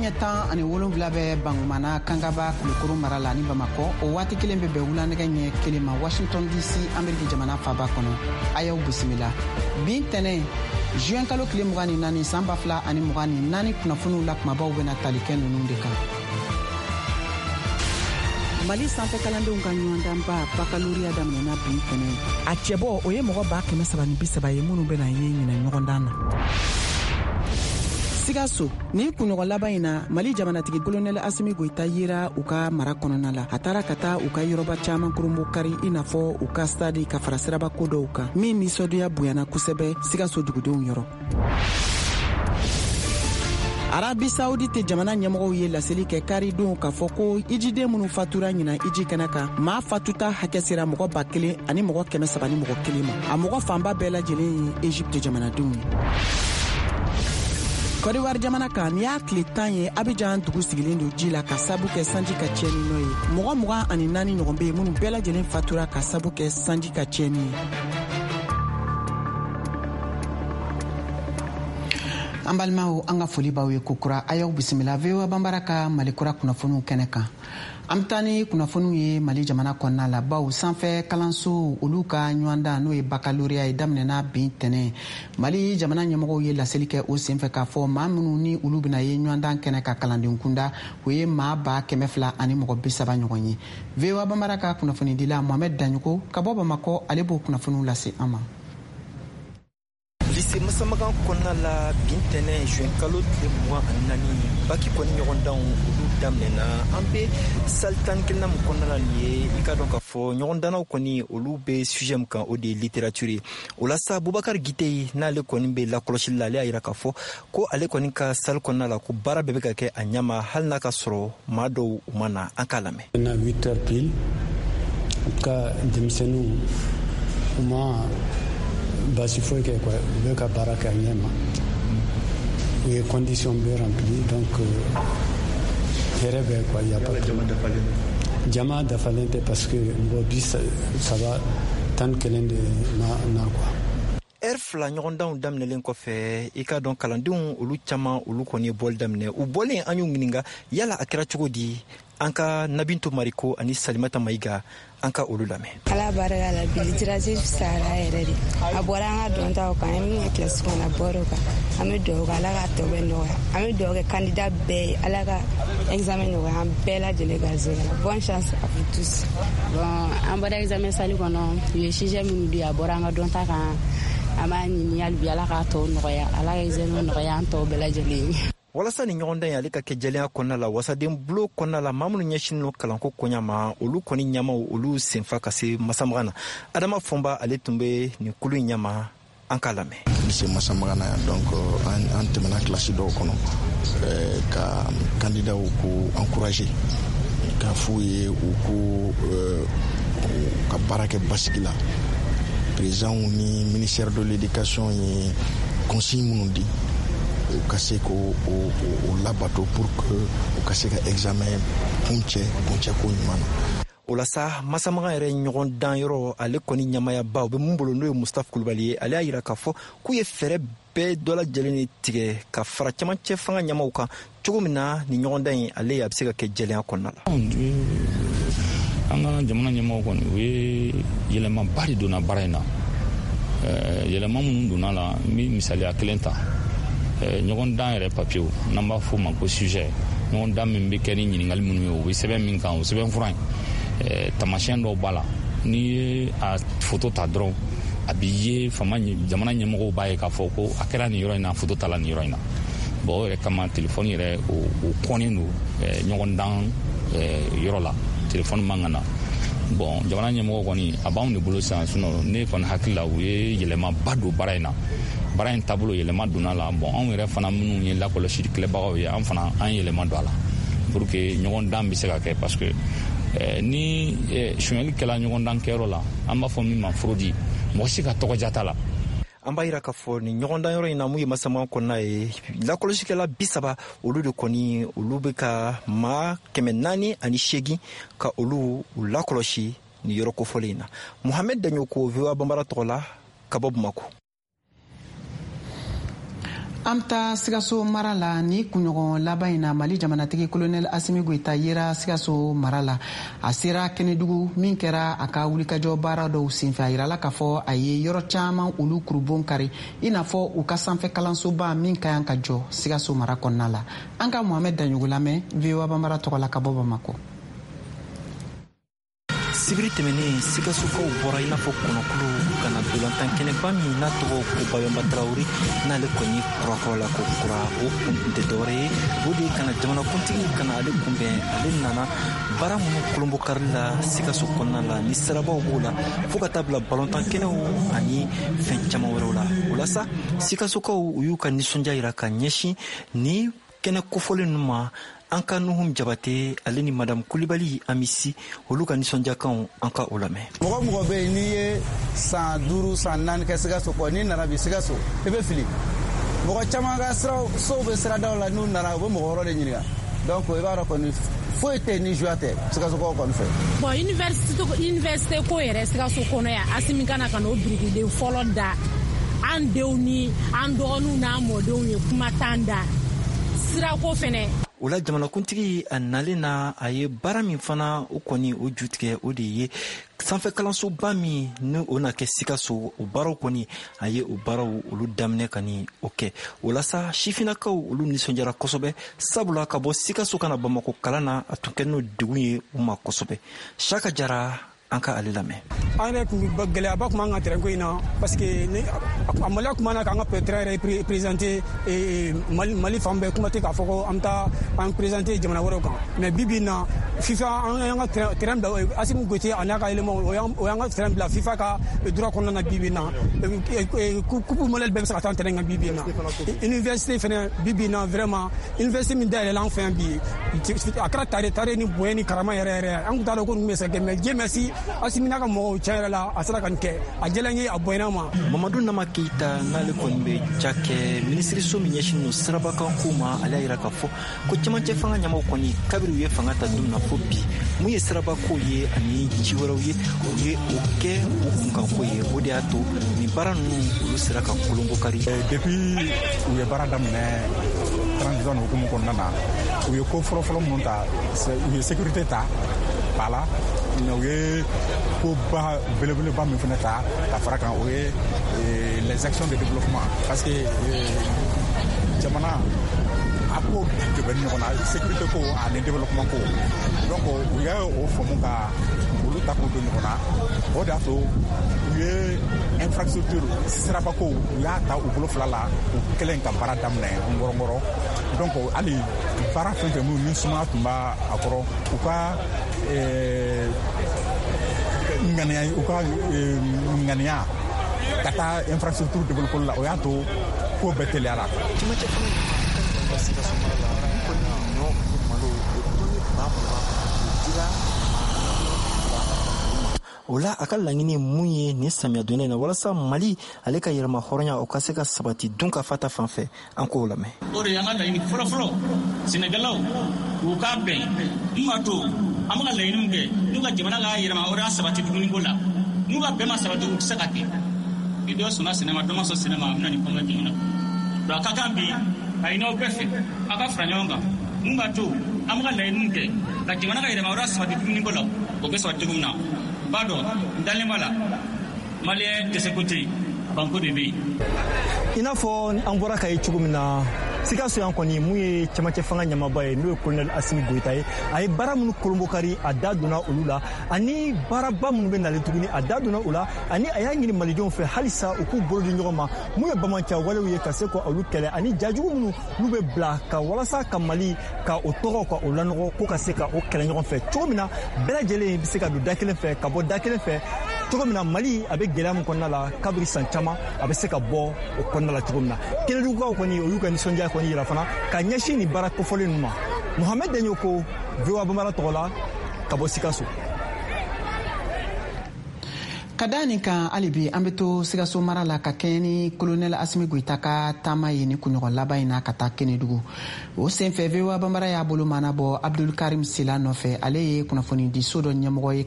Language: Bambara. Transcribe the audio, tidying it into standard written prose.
ɲɛ 17 bɛ Bangumana, Kangaba, Kulukoro mara la ni Bamakɔ. O waati kelen bɛ bɛn wulanɛgɛ ɲɛ 1 ma Washington DC, Ameriki jamana faba kɔnɔ. A y'aw bisimila bi ntɛnɛn, juin kalo tile 24, san 2024. Kunnafoniw la kumabaw bɛna tali kɛ ninnu de kan: Mali sanfɛ kalandenw ka ɲɔgɔndanba bakaloriya daminɛna bi ntɛnɛn. A cɛbɔ, o ye mɔgɔ 330 ye minnu bɛna ye ɲinɛ ɲɔgɔndan na. Sikaso, nin kunɲɔgɔn laban in na, Mali jamanatigi Kolonɛli Asimi Goyita yera u ka mara kɔnɔna la. A taara ka taa u ka yɔrɔba caaman koronbo kari, i n'a fɔ u ka stadi, ka fara siraba ko dɔw kan, min nisɔndiya bonyana kosɛbɛ Sikaso dugudenw yɔrɔ. Arabi Saudite jamana ɲɛmɔgɔw ye laseli kɛ karidon k'a fɔ ko ijiden minnu fatura ɲina iji kɛnɛ kan, maa fatuta hakɛ sera mɔgɔ 1301 ma. A mɔgɔ fanba bɛɛ lajɛlen ye Egypte jamanadenw ye. Kɔdiwari jamana kan, nin y'a tile 10 ye Abijan dugu sigilen don ji la ka sabu kɛ sanji ka tiɲɛni nɔ ye. Mɔgɔ 24 ɲɔgɔn be yen minnu bɛɛ lajɛlen fatura ka sabu kɛ sanji ka tiɲɛni ye. An balimaw, an ka foli b'aw ye kokura. A y'aw bisimila VOA Banbara ka Mali Kura kunnafoniw kɛnɛ kan. An bɛ taa ni kunnafoniw ye Mali jamana kɔnɔna la, baw sanfɛ kalanso olu ka ɲɔgɔndan, n'o ye bakaloriya ye, daminɛna bi ntɛnɛn. Mali jamana ɲɛmɔgɔw ye laseli kɛ o senfɛ k'a fɔ maa minnu ni olu bɛna ye ɲɔgɔndan kɛnɛ ka kalanden kunda, o ye maa 200 130 ɲɔgɔn ye. VOA Banbara ka kunnafonidila Mohamɛd Daɲɔgɔ ka bɔ Bamakɔ, ale b'o kunnafoniw lase an ma. Lycée Masamagan kɔnɔna la, bi ntɛnɛn, juin kalo tile 24, baki kɔni ɲɔgɔndanw olu daminɛna. An be salle 11nan min kɔnɔna la nin ye, i ka dɔn k'a fɔ ɲɔgɔndannaw kɔni olu be sujet min kan, o de ye littérature ye. O la sa, Bubakar Gite, n'ale kɔni be lakɔlɔsili la, ale y'a yira k'a fɔ ko ale kɔni ka salle kɔnɔna la, ko baara bɛɛ bɛ ka kɛ a ɲama, hali n'a ka sɔrɔ maa dɔw u ma na. An k'a lamɛn. Na 8 heures pile, en tout cas denmisɛnninw u ma baasi foyi kɛ quoi, u bɛ ka baara kɛ a ɲɛ ma, u ye condition bɛɛ rempli, donc hɛrɛ bɛ quoi, y a pas de jama dafalen tɛ, parce que mɔgɔ 30 11 de na na quoi. Ɛri 2 ɲɔgɔndanw daminɛlen kɔfɛ, i ka dɔn kalandenw olu caman olu kɔni ye bɔli daminɛ. U bɔlen, an y'u ɲininga yala a kɛra cogo di. An ka Nabinto Mariko ani Salimata Mayiga, an ka olu lamɛn. Ala barika la, bi littérature fisayara yɛrɛ de. A bɔra an ka dɔntaw kan, an ye min kɛ kilasi kɔnɔ, a bɔra o kan. An bɛ dugawu kɛ, Ala k'a tɔ bɛɛ nɔgɔya. An bɛ dugawu kɛ candidat bɛɛ ye, Ala ka examen nɔgɔya an bɛɛ lajɛlen garisɛgɛ la. Bonne chance à vous tous. Bon, an bɔra examen salle kɔnɔ, u ye sujet minnu di, a bɔra an ka dɔnta kan. An b'a ɲini hali bi, Ala k'a tɔw nɔgɔya, Ala ka examen nɔgɔya an tɔw bɛɛ lajɛlen ye. Walasa ni ɲɔgɔndan ye ale ka kɛ jɛlenya kɔnɔna la, wasaden bulo kɔnɔna la, maa minnu ɲɛsinin no kalanko koɲa ma, olu kɔni ɲamaw olu senfa ka se Masamagan na. Adama Fɔnba, ale tun bɛ nin kulu in ɲama, an k'a lamɛn. Lycée Masamagan na yan, donc an tɛmɛna kilasi dɔw kɔnɔ ka candidatw ko encourager, k'a f'u ye u ko ka baara kɛ basigi la. Président ni ministère de l'Éducation ye consigne minnu di, u ka se k'o o labato pour que u ka se ka examen kuncɛ kuncɛko ɲuman na. O la sa, Masamagan yɛrɛ ɲɔgɔn dan yɔrɔ, ale kɔni ɲamayaba o bɛ mun bolo, n'o ye Mustafa Kulubali ye, ale y'a yira k'a fɔ k'u ye fɛɛrɛ bɛɛ dɔ lajɛlen de tigɛ ka fara camancɛ fanga ɲamaw kan, cogo min na ni ɲɔgɔndan in ale a bɛ se ka kɛ jɛlenya kɔnɔna la. An ka jamana ɲɛmɔgɔ kɔni, u ye yɛlɛmaba de donna baara in na. Yɛlɛma minnu donna la, n bɛ misaliya kelen ta: ɲɔgɔndan yɛrɛ papiyew, n'an b'a fɔ o ma ko sujet, ɲɔgɔndan min bɛ kɛ ni ɲininkali minnu ye, o bɛ sɛbɛn min kan, o sɛbɛn fura in, taamasiyɛn dɔw b'a la. N'i ye a foto ta dɔrɔn, a bɛ ye fama jamana ɲɛmɔgɔw b'a ye k'a fɔ ko a kɛra nin yɔrɔ in na, foto tala nin yɔrɔ in na. Bon, o yɛrɛ kama, telefɔni yɛrɛ o kɔnnen don ɲɔgɔndan yɔrɔ la, telefɔni man ka na. Bon, jamana ɲɛmɔgɔ kɔni, a b'anw de bolo sisan. Sinon ne kɔni hakili la, u ye yɛlɛmaba don baara in na, baara in taabolo yɛlɛma donna la. Bon, anw yɛrɛ fana minnu ye lakɔlɔsili kɛlɛbagaw ye, an fana an yɛlɛma don a la pour que ɲɔgɔndan bɛ se ka kɛ, parce que ni sonyɛli kɛla ɲɔgɔndan kɛyɔrɔ la, an b'a fɔ min ma fraude, mɔgɔ si ka tɔgɔja t'a la. An b'a yira k'a fɔ nin ɲɔgɔndan yɔrɔ in na, mun ye Masamagan kɔnɔna ye, lakɔlɔsikɛla 30 olu de kɔni olu bɛ ka maa 408 ka olu u lakɔlɔsi nin yɔrɔ kofɔlen in na. Mohamɛd Daɲoko, VOA Banbara tɔgɔ la, ka bɔ Bamako. An bɛ taa Sikaso mara la. Ni kunɲɔgɔn laban in na, Mali jamanatigi Kolonɛl Asimi Goyita yera Sikaso mara la. A sera Kɛnɛdugu min kɛra a ka wulikajɔ baara dɔw senfɛ. A yirala k'a fɔ a ye yɔrɔ caman olu kurubon kari, i n'a fɔ u ka sanfɛ kalansoba min ka kan ka jɔ Sikaso mara kɔnɔna la. An ka Mohamɛd Daɲogo lamɛn VOA Banbara tɔgɔ la ka bɔ Bamakɔ. Sibiri tɛmɛnen, Sikasokaw bɔra i n'a fɔ kɔnɔkulu ka na dolantan kɛnɛba min n'a tɔgɔ ko Babɛnba Tarawele, n'ale kɔni kurakurala ko kura. O kun tun tɛ dɔwɛrɛ ye, o de ye ka na jamanakuntigi ka na ale kunbɛn. Ale nana baara minnu kolonbɔkari la Sikaso kɔnɔna la, ni sirabaw b'o la, fo ka taa bila balontan kɛnɛw ani fɛn caman wɛrɛw la. O la sa, Sikasokaw u y'u ka nisɔndiya yira ka ɲɛsin ni kɛnɛ kofɔlen ninnu ma. An ka Nuhum Jabate, ale ni Madamu Kulibali Amisi, olu ka nisɔndiyakanw, an ka o lamɛn. Mɔgɔ mɔgɔ bɛ yen n'i ye san 5, san 4 kɛ Sikaso kɔ, n'i nana bi Sikaso, i bɛ fili. Mɔgɔ caman ka siraw sow bɛ siradaw la, n'u nana, u bɛ mɔgɔ wɛrɛ de ɲininka. Donc i b'a dɔn kɔni, foyi tɛ yen ni joie tɛ Sikasokaw kɔni fɛ. Bon, université ko yɛrɛ Sikaso kɔnɔ yan, Asimi kana ka n'o birikiden fɔlɔ da, an denw ni an dɔgɔninw n'an mɔdenw ye kuma t'an da. Sirako fɛnɛ. O la, jamanakuntigi a nalen na, a ye baara min fana o kɔni o ju tigɛ, o de ye sanfɛ kalansoba min ni o na kɛ Sikaso. O baaraw kɔni, a ye o baaraw olu daminɛ ka ni o kɛ. O la sa, sifinnakaw olu nisɔndiyara kosɛbɛ, sabula ka bɔ Sikaso ka na Bamako kalan na, a tun kɛ n'o degun ye u ma kosɛbɛ. Saka Jara, an ka ale lamɛn. An yɛrɛ tun gɛlɛyaba tun b'an ka terrain ko in na, parce que ni a maloya tun b'an na k'an ka terrain yɛrɛ présenter Mali fan bɛɛ. Kuma tɛ k'a fɔ ko an bɛ taa an présenter jamana wɛrɛw kan. Mais bi bi in na, FIFA, an y'an ka terrain bila, Asimi Goyita a n'a ka éléments, o y'an ka terrain bila FIFA ka droit kɔnɔna na. Bi bi in na, coupe mondiale bɛɛ bɛ se ka taa terrain kan bi bi in na. Université fɛnɛ, bi bi in na, vraiment, université min dayɛlɛla an fɛ yan bi, a kɛra tare tare ni bonya ni karama yɛrɛ yɛrɛ. An tun t'a dɔn ko ninnu bɛ se ka kɛ, mais Dieu merci, Asimi n'a ka mɔgɔw, tiɲɛ yɛrɛ la, a sera ka nin kɛ. A diyara n ye, a bonyana ma. Mamadu Nama Keyita, n'ale kɔni bɛ cakɛ minisiriso min ɲɛsinnen don sirabakan ko ma, ale y'a yira k'a fɔ ko cɛmancɛ fanga ɲɛmaw kɔni, kabiri u ye fanga ta don min na fo bi, mun ye sirabako ye ani ci wɛrɛw ye, u ye o kɛ u kunkanko ye. O de y'a to nin baara ninnu olu sera ka kolonko kari. Depuis u ye baara daminɛ transition hukumu kɔnɔna na, u ye ko fɔlɔfɔlɔ minnu ta, u ye sécurité ta ba la, u ye koba belebeleba min fana ta ka fara kan, o ye les actions de développement, parce que jamana a ko de bɛ ɲɔgɔn na, sécurité ko ani développement ko. Donc u y'a o faamu ka olu ta k'o don ɲɔgɔn na. O de y'a to u ye infrastructure sirabako, u y'a ta u bolo fila la, u kɛlen ka baara daminɛ ngɔrɔngɔrɔ. Donc hali baara fɛn fɛn minnu ni sumaya tun b'a a kɔrɔ, u ka ŋaniya, u ka ŋaniya ka taa infrastructure développer la, o y'a to ko bɛɛ teliyara. Cɛmancɛ fanga ɲɛmaa Sikaso mara la, min kɔni ɲɔ ani malo, o tɔni 20,000, o dira maa 2 ma. O la, a ka laɲini mun ye nin samiya donda in na, walasa Mali ale ka yɛrɛma hɔrɔnya o ka se ka sabati dun ka fa ta fan fɛ, an k'o lamɛn. O de y'an ka laɲini fɔlɔfɔlɔ. Sɛnɛkɛlaw u k'a bɛn mun b'a to an bɛ ka laɲini min kɛ, n'u ka jamana ka yɛrɛma hɔrɔnya sabati dumuniko la, n'u ka bɛn ma sabati, u tɛ se ka kɛ. Ni dɔ sɔnna sɛnɛ ma, dɔ ma sɔn sɛnɛ ma, a bɛ na ni kɔngɔ jamana. Donc a ka kan bi ka ɲini aw bɛɛ fɛ, aw ka fara ɲɔgɔn kan mun b'a to an bɛ ka laɲini min kɛ ka jamana ka yɛrɛma hɔrɔnya sabati dumuniko la, o bɛ sabati cogo min na. N b'a dɔn, n dalen b'a la, Malien dɛsɛko tɛ yen, banko de bɛ yen. I n'a fɔ an bɔra ka ye cogo min na, Sikaso yan kɔni, mun ye cɛmancɛ fanga ɲɛmaaba ye, n'o ye Kolonɛli Asimi Goyita ye, a ye baara minnu kolonbokari, a da donna olu la, ani baaraba minnu bɛ nalen tuguni, a da donna o la, ani a y'a ɲini malidenw fɛ halisa u k'u bolo di ɲɔgɔn ma, mun ye bamaca walew ye, ka se ka olu kɛlɛ, ani jajugu minnu n'u bɛ bila ka walasa ka Mali ka o tɔgɔ ka o lanɔgɔ, ko ka se ka o kɛlɛ ɲɔgɔn fɛ cogo min na, bɛɛ lajɛlen bɛ se ka don da kelen fɛ ka bɔ da kelen fɛ cogo min na, Mali a bɛ gɛlɛya min kɔnɔna la kabiri san caman, a bɛ se ka bɔ o kɔnɔna la cogo min na. Kɛnɛdugukaw kɔni, o y'u ka nisɔndiya kɔni yira fana ka ɲɛsin nin baara kofɔlen ninnu ma. Mohamɛd Daɲo ko VOA Bambara tɔgɔ la ka bɔ Sikaso. Ka da nin kan, hali bi an be to Sikaso mara la ka kɛɲɛ ni Kolonɛl Asimi Goyita ka taama ye ni kunɲɔgɔn laban in na ka taa Kenedugu. O senfɛ, VOA Bambara y'a bolo mana bɔ Abdul Karim Sila nɔfɛ. Ale ye kunnafoni di so dɔ ɲɛmɔgɔ ye.